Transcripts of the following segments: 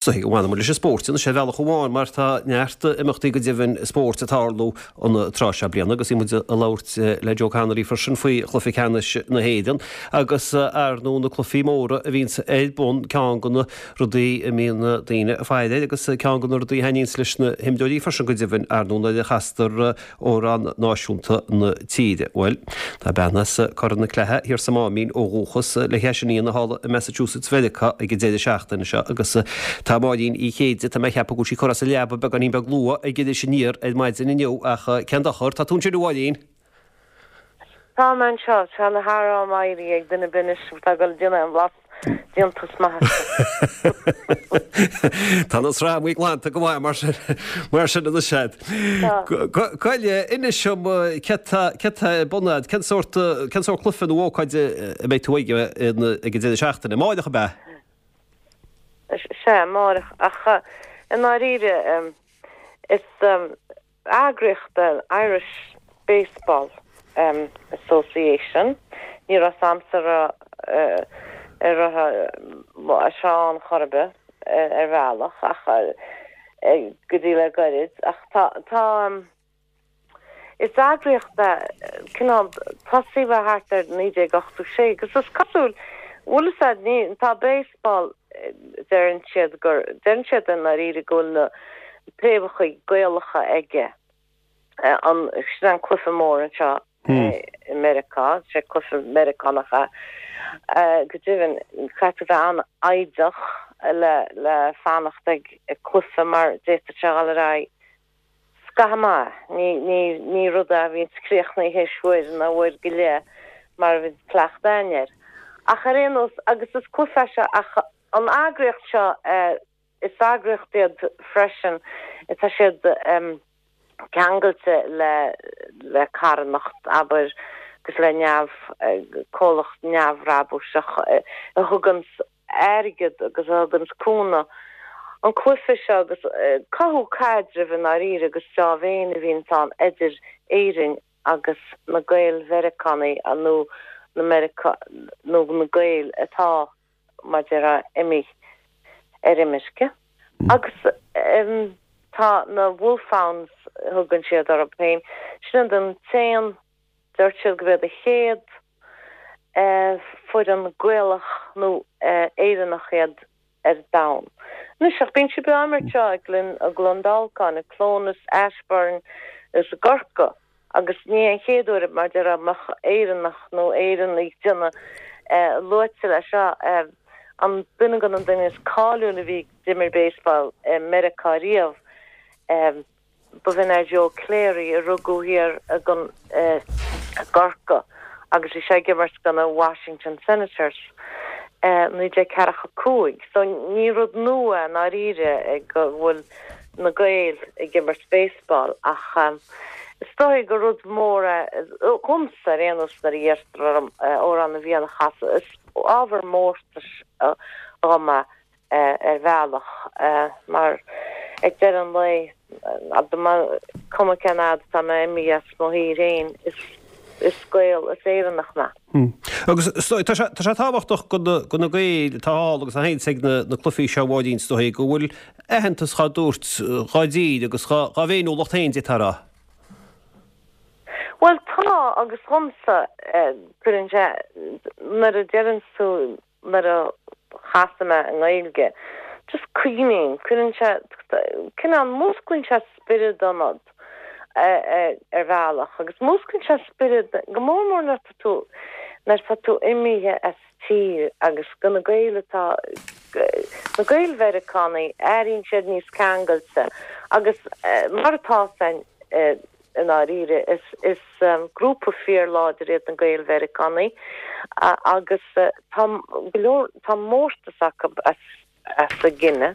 Bhuel baineann leis an spórt anois ar bhealach amháin mar tá neart imeachtaí go deimhin spóirt ag tarlú an tráth seo bliana agus bhí muid ag labhairt le Joe Connolly freisin faoi chluiche ceannais na hÉireann agus ar ndóigh na cluichí móra a bhíonns ar bun, ceann de na rudaí a mbíonn daoine ag faire air agus ceann de na rudaí a thaitníonns leis na himreoirí freisin go deimhin ar ndóigh nuair a chastar amhrán náisiúnta na tíre. Bhuel, tá bean as Cora na Cloiche thiar sa Máimín ó dhúchas le seisear iníon thall i Massachusetts Mheiriceá ag an deireadh seachtaine seo agus tá Máirín Uí Chéide, tá mé ag ceapadh go bhfuil sí curtha as a leaba beagáinín beag luath ag Iris Aniar ar maidin inniu ach cén dochar, tá tú ansin a Mháirín? Tá mé anseo, tá na harán éirithe ag duine ar bith anois atá ag dul ag déanamh an bhlas déantús maith acu. Tá na sramaí glanta go maith mar sin, mar sin anois agat. Tá. Gabh i leith, inis dom céard tá, céard tá ar bun agat, cén sórt, cén sórt cluiche nó ócáid a mbeidh tú aige ag an deireadh seachtaine? Amáireach ab ea? Sea, amáireach, ach i ndáiríre is eagraíocht an Irish Baseball Association. Ní raibh 's a'msa an raibh sé ann chor ar bith ar bhealach ach go dtí le goirid ach tá tá is eagraíocht é cineál tosaíodh é thart ar 1986 agus is cosúil bhfuil fhios a'd ní tá baseball deireann siad gur deireann siad i ndáiríre go bhfuil na préamhacha Gaelacha aige. An, sin an cluiche mór anseo i Meiriceá, sé cluiche Meiriceánach é. Go deimhin, caithfidh tú bheith an-fhoighdeach le, le fanacht ag cluiche mar d'fhéadfadh sé a dhul ar aghaidh scaitheamh maith. Ní, ní, ní rud é a bhíonns críochnaithe théis uair nó uair go leith mar a bhíonns cleachtadh againn air. Ach ar aon nós, agus is cluiche é seo ach an eagraíocht seo, Is eagraíocht iad freisin, tá siad ceangailte le le carthanacht, abair, agus le neamh, comhlacht neamhbhrabúsach a thuganns airgead agus a thuganns cúnamh an cluiche seo agus cothú caidrimh i ndáiríre agus deá-mhéin a bhíonns ann idir Éirinn agus na Gael-Mheiriceánaigh nó na Meiriceá nó na Gaeil atá mar a déarfá, imithe ar imirce. Agus tá na Wolfhounds, thugann siad orthu féin, sin iad an t-aon, dúirt siad gurb iad an chéad foireann Gaelach nó Éireannach iad ar domhan. Anois, ach bíonn siad á imirt seo i gCluain Dolcáin, i Clónas, Ashbourne agus i gCorcaigh. Agus ní hé an chéad uair, mar a déarfá, a mbeadh Éireannach nó Éireannaigh ag déanamh luaite leis seo. An duine de na daoine is cáiliúil a bhí ag d'imir baseball i Meiriceá riamh, b'in é Joe Cleary, a rugadh thiar i gCorcaigh agus bhí sé ag imirt do na Washington Senators i 1945. So ní rud nua i ndáiríre go bhfuil na Gaeil ag imirt baseball ach is dóigh gur rud mór é dhomsa ar aon nós nuair a iarrtar orm Amhrán na bhFiann a chasadh. Is ábhar mórtais dhom é ar bhealach mar ag deireadh an lae, cuma cén fhad atá mé imithe as mo thír féin, is Gael, is Éireannach mé. Agus tá sé tábhachtach do na Gaeil atá thall agus a théanns ag na cluichí seo a Mháirín, is dóigh, go bhfuil aitheantas dhá dtabhairt dhá dtír agus dhá bhféiniúlacht féin, d'fhéadfá a rá. Bhuel tá, agus dhomsa, cuireann sé, nuair a deireanns tú, nuair a chasaim é i nGaeilge, just cuimhním, cuireann sé, cineál, músclaíonn sé spiorad ionat ar bhealach agus músclaíonn sé spiorad, go mór mór nuair atá tú, nuair atá tú imithe as tír agus do na Gaeil atá, na Gaeil Mheiriceánaigh, airíonn siad níos ceangailte agus mar atá féin i ndáiríre is, is grúpa fíorláidir iad na Gaeil Mheiriceánaigh agus tá go leor, tá mórtas acu as, as a gcine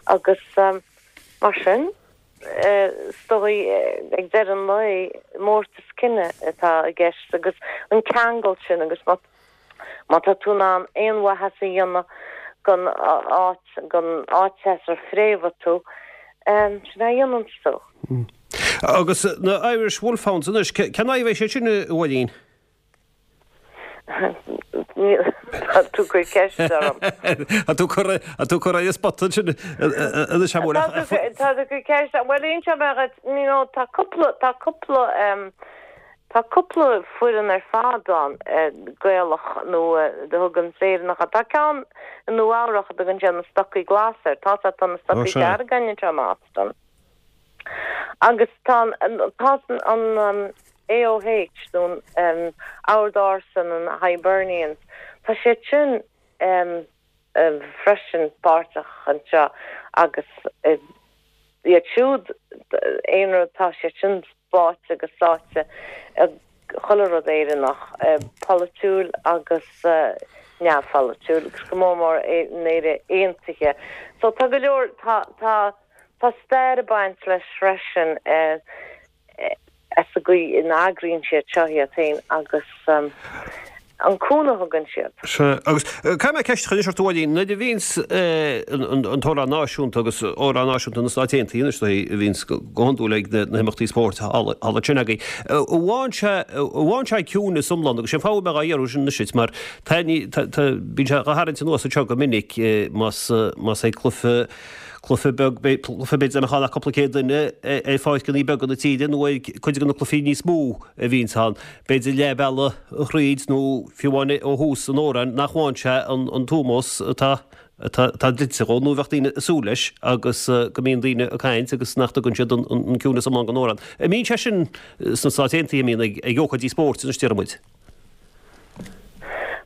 agus mar sin is dóigh ag deireadh an lae mórtas cine atá i gceist agus an ceangal sin agus má má tá tú in ann aon mhaitheas a dhéanamh don áit, don áit as ar fréamhaigh tú, sin é a dhéananns tú. Agus na Irish Wolfhounds anois, cén fáth a bhfuil siad sin, a Mháirín? Tá tú ag cur ceist orm. Tá tú ag cur ar an spota ansin anois a Mhóir. Tá tú ag cur ceist orm. Bhuel, inseoidh mé dhuit, you know, tá cúpla, tá cúpla, tá cúpla foireann ar fad ann, Gaelach nó a thugann Éireannacha. Tá ceann i Nua Eabhrach a dtugann siad na Stocaí Glasa air. Tá tá na Stocaí Dearga againn anseo i mBoston. Agus tá tá an AOH nó an Ord Ársa na Hibernians, tá siad sin freisin páirteach anseo agus iad siúd, aon rud, tá siad sin báite agus sáite i chuile rud Éireannach, polaitiúil agus neamhpholaitiúil, agus go mór mór in Éire Aontaithe. So tá go leor, tá, tá, tá stair ag baint leis freisin as an gcaoi ina n-eagraíonn siad seo iad féin agus an cúnamh a thugann siad. Sea, agus caithfidh mé ceist a chur anois ort a Mháirín, nuair a bhíonns an t-amhrán náisiúnta agus amhrán náisiúnta na Stát Aontaithe anois a bhíonns go hiondúil ag na himeachtaí spóirt thall ansin agaibh, an bhfaigheann sé, an bhfaigheann sé ciúineas iomlán agus sé an fáth a bhfuil mé dhá iarraidh sin anois duit mar tá, tá, bíonn sé dhá tharraingt anuas anseo go minic más, más é cluiche, cluiche beag, cluiche b'fhéidir nach mbeadh ach cúpla céad duine ar pháirceanna beaga na tíre nó ar cuid de na cluichí níos mó a bhíonns ann, b'fhéidir leath bealaigh thríd nó fiú amháin ó thús an amhráin nach bhfaigheann sé an t-ómós atá atá dlite dhó nó a bheadh daoine ag súil leis agus go mbíonn daoine ag caint agus nach dtugann siad an ciúineas iomlán don amhrán. An mbíonn sé sin sna Stáit Aontaithe, an mbíonn ag ócáidí spóirt anois déarfaidh muid?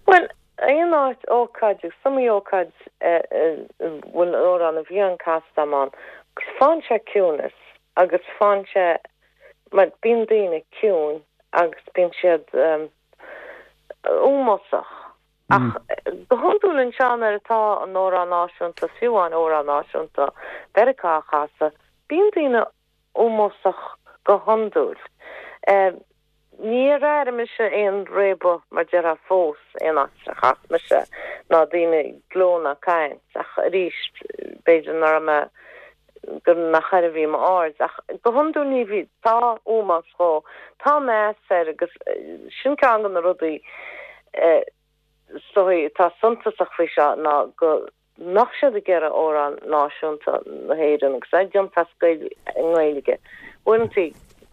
Bhuel, aon áit, ócáid, is iomaí ócáid a bhfuil amhrán na bhFiann casta agam ann, agus faigheann sé ciúnas agus faigheann sé, mar bíonn daoine ciúin agus bíonn siad ómósach. Ach go hiondúil anseo nuair atá an amhrán náisiúnta, fiú amháin amhrán náisiúnta Mheiriceá á chasadh, bíonn daoine ómósach go hiondúil. Níor airigh mise aon réabadh mar déarfá fós aon áit a chas mise ná daoine ag gleo ná caint ach arís b'fhéidir nach raibh mé gur nach air a bhí m'aird ach go hiondúil ní bhí tá ómós dhó tá meas air agus sin ceann de na rudaí is dóigh atá suntasach faoi seo ná go mbeadh siad ag iarraidh amhrán náisiúnta na hÉireann agus é déanta as nGaeilge. Uaireanta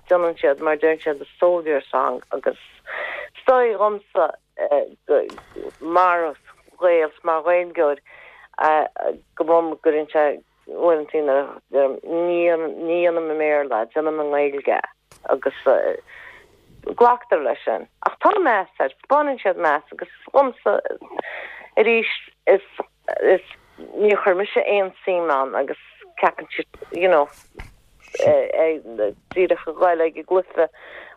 déanann siad mar deireann siad the soldier song agus is dóigh dhomsa mar Ghael 's mar Ghaeilgeoir go gcuireann sé uaireanta ní dhéanaim i mBéarla, déanaim i nGaeilge agus glactar leis sin. Ach tá meas air, spáineann siad meas agus dhomsa arís is is níor chuir mise aon suim ann agus ceapann siad you know díreach a ghoil ag an gcluiche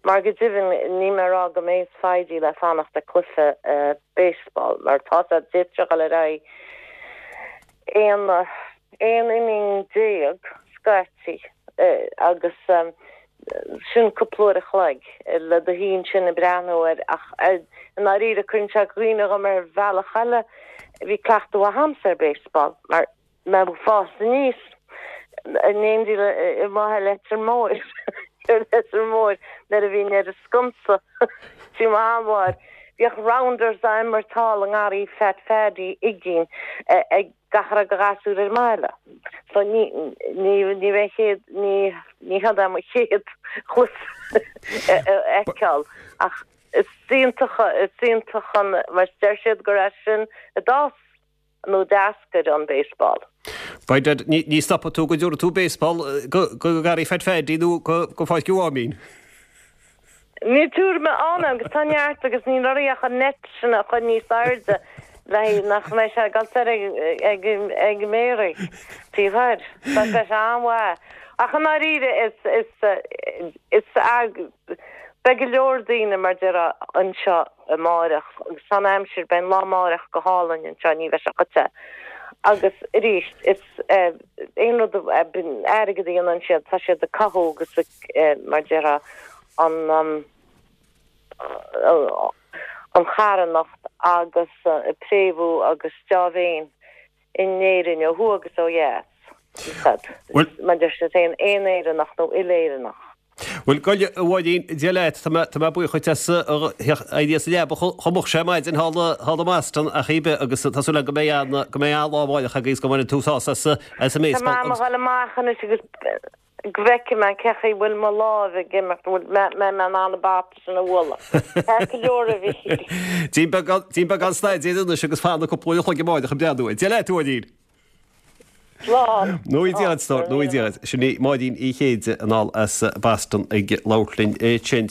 mar go deimhin níl mé ag rá go mbeidh foighidí le fanacht ag cluiche baseball mar tá sé d'fhéadfadh sé dhul ar aghaidh 11 inning scaití agus sin cúpla uair a chloig le do shuí ansin ag breathnú air ach i ndáiríre cuireann sé i gcuimhne dhom ar bhealach eile bhí cleachtadh mhaith a'msa ar baseball mar mé ag fás aníos in éindí le amuigh i Leitir Móir ar Leitir Móir nuair a bhínn ar an sconsa tí mo sheanmháthair. Bhíodh rounders á imirt thall i ngarraí Phat Phaddy Uiginn ag gach a raibh de ghasúir ar an mbaile. So ní ní ní bheidh chéad ní ní hé mo chéad chluiche a fheiceáil ach is iontach is iontach an mar deir siad gur as sin a d'fhás nó d'eascair an baseball. By dad, ní stopfaidh tú go dtabharfaidh tú baseball go Garraí Phat Phaddy nó go Pháirc an Mháimín. Níl tuairim ann agus tá neart agus níl oraibh ach an net sin a chur níos airde le nach mbeidh sé ag dul soir ag ag méaraigh taobh thoir. Tá sé an-mhaith. Ach i ndáiríre is is is beidh go leor daoine mar déarfá anseo amáireach agus tá an aimsir, beidh an lá amáireach go hálainn anseo, ní bheidh sé chomh te. Agus arís, is aon rud, airgead a dhéanann siad, tá siad ag cothú agus ag, mar déarfá, an an charthanacht agus ag préamhú agus deá-mhéin in Éirinn ó thuaidh agus ó dheas. Mar deir siad féin, aon Éireannach nó uile-Éireannach. Bhuel, gabh i leith, a Mháirín, Dia leat, tá mé, tá mé buíoch dhuit as éirí as an leaba chomh moch sin ar maidin thall, thall i mBoston ach ar bith agus tá súil agam go mbeidh an, go mbeidh an-lá amárach agaibh agus go mbainfidh tú sásamh as, as an Tá mé mbaseball ag agus. dhul amach anois agus go bhfeicfidh mé cé chaoi bhfuil mo láimh ag imeacht, bhfuil mé, mbeidh mé in ann an bata sin a bhualadh. Ceart go leor a Mhíchíl. Déan beagán, déan beagán staidéir anois agus fan cúpla uair a chloig amárach ag breathnú air. Dia leat, a Mháirín. Slán. Nó Dia duit, nó Dia duit. Sin í Máirín Uí Chéide anall as Boston ag labhairt linn ansin.